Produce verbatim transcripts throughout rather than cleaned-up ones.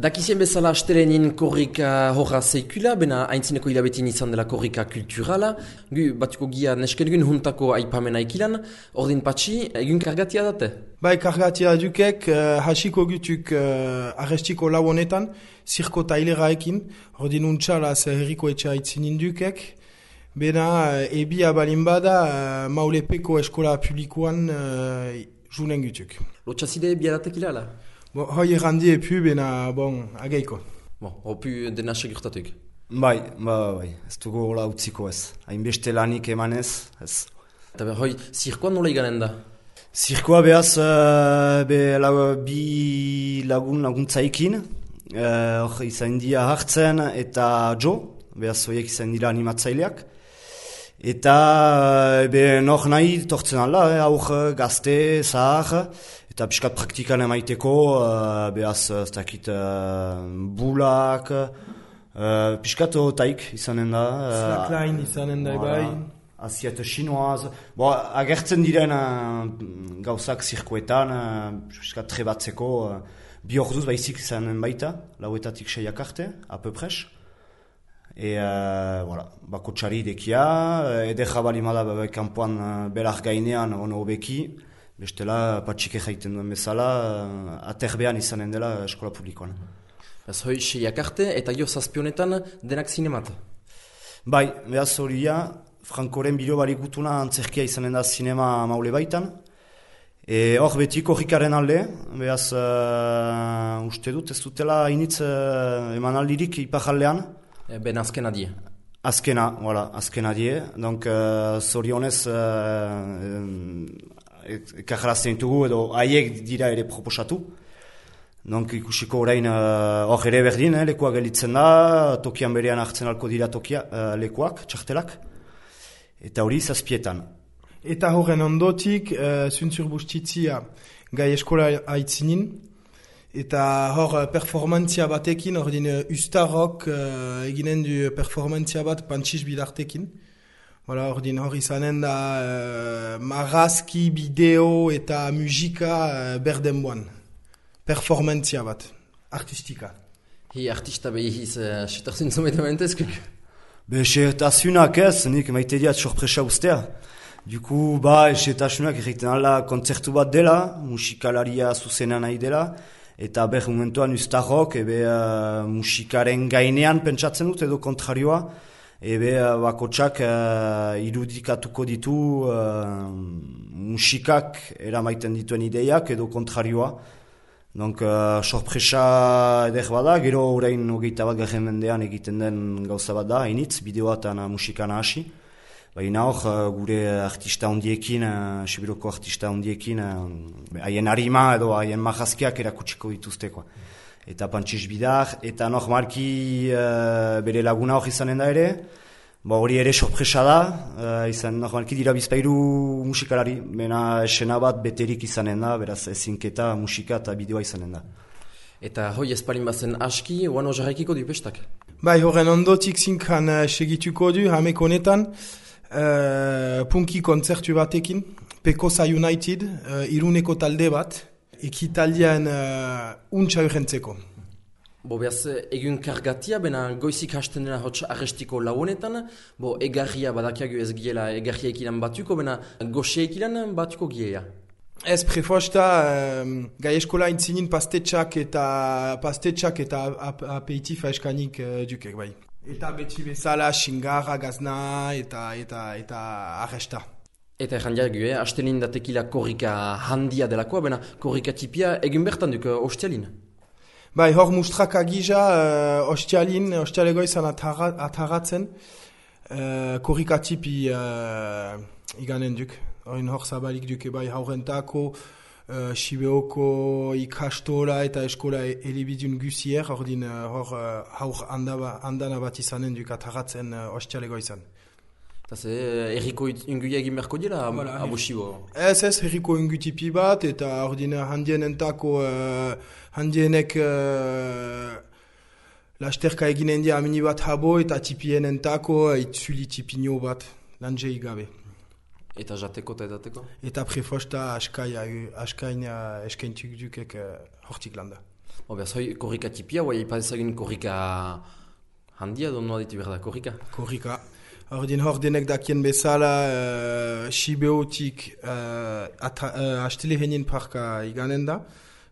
Dakizien bezala astelenin korrika horra zeikula, bena haintzineko hilabetin izan dela korrika kulturala, gu batuko gia neskengun juntako aipamena ikilan, ordin patxi, egun kargatia date? Bai, kargatia dukek, uh, hasiko gutuk uh, arrestiko lau honetan, zirko taileraekin, ordin untxalaz herriko etxea itzinin dukek, bena uh, ebia balin bada uh, Maulepeko eskola publikoan uh, junen gutuk. Lotxazide ebia datekila ala? Bon, hoi errandi epu, bena, bon, ageiko. Bon, hopu dena segurtatuk. Bai, bai, bai, ez dugu hola utziko ez. Hainbeste lanik emanez, ez. Eta behar, hoi, zirkoan nola iganen da? Zirkoa behaz, uh, be, lag, bi lagun laguntzaikin, hor uh, izan dira hartzen eta jo, behaz horiek izan dira animatzaileak. Eta be, nor nahi tortzen ala, eh, aur gazte, zahar, eta piskat praktikan emaiteko, uh, behaz, ez dakit, uh, bulak, uh, piskat otaik izanen da. Slackline izanen da, bai. Aziet chinoaz. Bo, agertzen diren uh, gauzak zirkoetan, uh, piskat trebatzeko, uh, bi orduz baizik izanen baita, lauetatik seiak arte, apepres. E, uh, voilà, bako txari dekia, edera balimada kanpoan uh, belar gainean ono obeki, bestela patxike jaiten duen bezala, uh, aterbean izanen dela eskola publikoan. Ez hoi seiak arte eta jo zazpionetan denak zinemat? Bai, behaz horia, Frankoren biro balikutuna antzerkia izanen da zinema maule baitan. E, hor beti korrikaren alde, behaz uh, uste dut, ez dutela initz uh, eman aldirik ipajaldean. Ben azkena die. Azkena, voilà, azkena die. Donc, uh, zorionez, uh, ekajarazten dugu edo haiek dira ere proposatu. Donc, ikusiko orain hor uh, ere berdin, eh, lekuak gelitzen da, tokian berean hartzen alko dira tokia, uh, lekuak, txartelak. Eta hori zazpietan. Eta horren ondotik, uh, zuntzur bustitzia gai eskola aitzinin, eta hor performantzia batekin, hor din ustarok uh, eginen du performantzia bat pantxiz bidartekin. Voilà, hor din hor izanen da uh, marrazki, bideo eta musika uh, berdenboan. Performantzia bat, artistika. Hi artista behiz, uh, setartzen zumeta mentezkuk? Be, setasunak ez, nik maite diat sorpresa ustea. Duku, ba, setasunak egiten ala kontzertu bat dela, musikalaria zuzena nahi dela, eta ber momentuan ustarrok, ebe uh, musikaren gainean pentsatzen dut edo kontrarioa, ebe uh, bakotsak uh, irudikatuko ditu uh, musikak eramaiten dituen ideiak edo kontrarioa. Donc, uh, sorpresa eder bada, gero orain hogeita bat garen mendean egiten den gauza bat da, hainitz, bideoa eta musikana hasi. Baina hor, gure artista ondiekin, uh, Sibiroko artista ondiekin, haien uh, harima edo haien majazkiak erakutsiko dituzteko. Eta pantxiz bidar, eta normalki uh, bere laguna hor izanen da ere, ba hori ere sorpresa da, uh, izan normalki dira bizpairu musikalari, bena esena bat beterik izanen da, beraz ezinketa, musika eta bideoa izanen da. Eta hoi espalin bazen aski, oan ojarraikiko du pestak? Bai, horren ondotik zinkan uh, segituko du, hamek honetan, Uh, punki kontzertu batekin, Pekosa United, uh, iruneko talde bat, ekitaldian uh, untxa urrentzeko. Bo behaz, egun kargatia, bena goizik hasten dena hotx arrestiko launetan, bo egarria badakiago ez giela egarria ekilan batuko, bena goxe ekilan batuko giela. Ez prefosta, um, gai eskola intzinin pastetxak eta pastetxak eta ap apeitifa eskanik uh, dukek bai. Eta beti bezala, xingarra, gazna eta eta eta arresta. Eta erran jargu, eh? Astelin da tekila korrika handia delakoa, bena korrika tipia egin bertan duk uh, ostialin. Bai, hor mustraka gisa uh, ostialin, ostialego izan ataratzen uh, korrika tipi uh, iganen duk. Horin hor zabalik duke bai haurentako, Uh, Sibeoko ikastola eta eskola elebidun guzier, hor din uh, hor uh, haur andaba, andana bat izanen duk ataratzen uh, ostialego izan. Eta ze, erriko inguia egin berko dira, voilà, abusibo? Ez ez, erriko ingutipi bat, eta hor din handienentako, uh, handienek uh, lasterka eginen dia amini bat habo, eta tipienentako uh, itzuli tipinio bat, lanjei gabe. Eta jateko eta edateko? Eta prefosta askaina eskaintuk dukek uh, hortik landa. Beraz, hoi korrika tipia, guai ipadezagun korrika handia, don noa ditu behar da, korrika? Korrika. Ordin hor denek dakien bezala, uh, Sibeotik uh, uh, Astelehenien parka iganen da.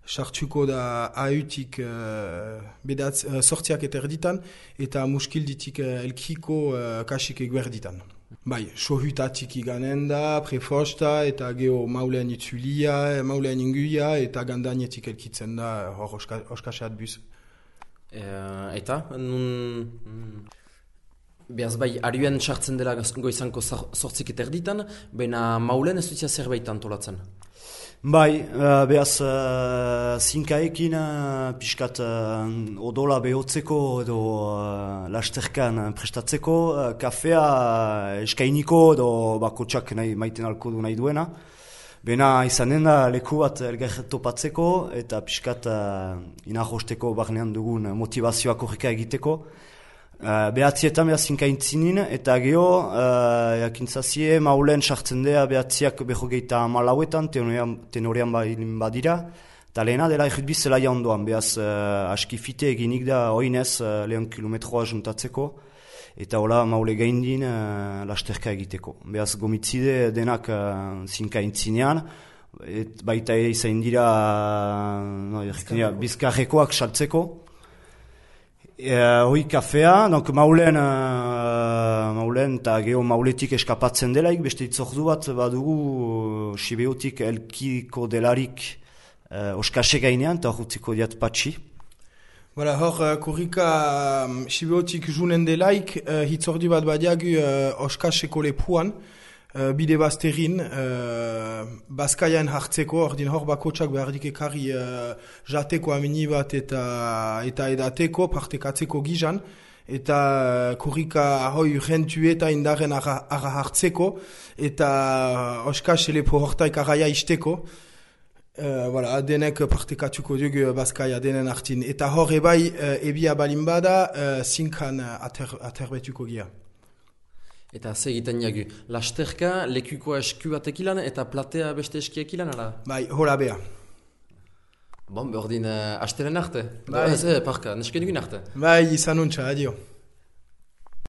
Sartuko da ahutik uh, bedatz, uh, sortziak eta erditan, eta muskilditik uh, elkiko uh, kasik eguerditan. Bai, sohutatik iganen da, prefosta, eta geho maulean itzulia, maulean inguia, eta gandanetik elkitzen da hor oska, oskaseat buz. E, eta, nun... Beaz bai, arioen sartzen dela goizanko sortzik eta erditan, baina maulen ez dutzia zerbait antolatzen. Bai, uh, beaz uh, zinkaekin uh, pixkat uh, odola behotzeko edo uh, lasterkan prestatzeko, uh, kafea uh, eskainiko edo bakotsak nahi, maiten alko du nahi duena. Bena izanen da leku bat elgar topatzeko eta pixkat uh, inahosteko barnean dugun motivazioa korrika egiteko. Uh, behatzietan behar zinkaintzinin, eta geho, uh, jakintzazie, maulen sartzen dea behatziak behogeita malauetan, tenorean badira, eta lehena dela erritbiz zelaia ondoan, behaz uh, askifite eginik da oinez uh, lehen kilometroa juntatzeko, eta hola maule gaindin uh, lasterka egiteko. Behaz gomitzide denak uh, zinkaintzinean, et baita izain dira uh, no, bizkarrekoak saltzeko. Uh, hoi kafea, donc maulen, uh, maulen eta geho mauletik eskapatzen delaik, beste itzordu bat badugu uh, Sibeotik elkiko delarik uh, oskase gainean, eta hor utziko diat patxi. Voilà, hor uh, korrika um, Sibeotik junen delaik, uh, hitzordu bat badiagu uh, oskaseko lepuan, Uh, bide bazterin, uh, bazkaian hartzeko, ordin hor bakotsak behardik ekarri uh, jateko amini bat eta, eta edateko, partekatzeko gizan, eta uh, korrika hoi rentu eta indaren ara, ara hartzeko, eta uh, oskase lepo hortaik arraia isteko, uh, voilà, denek partekatuko dugu bazkaia denen hartin. Eta hor ebai uh, ebia balin bada, uh, zinkan uh, ater, aterbetuko gia. Eta ze egiten jagu, lasterka, lekukoa esku batek ilan eta platea beste eskiak ilan, ala? Bai, hola bea. Bon, behordin, uh, astelen arte? Bai. Ez, eh, parka, nesken dugun arte? Bai, izan untxa, adio.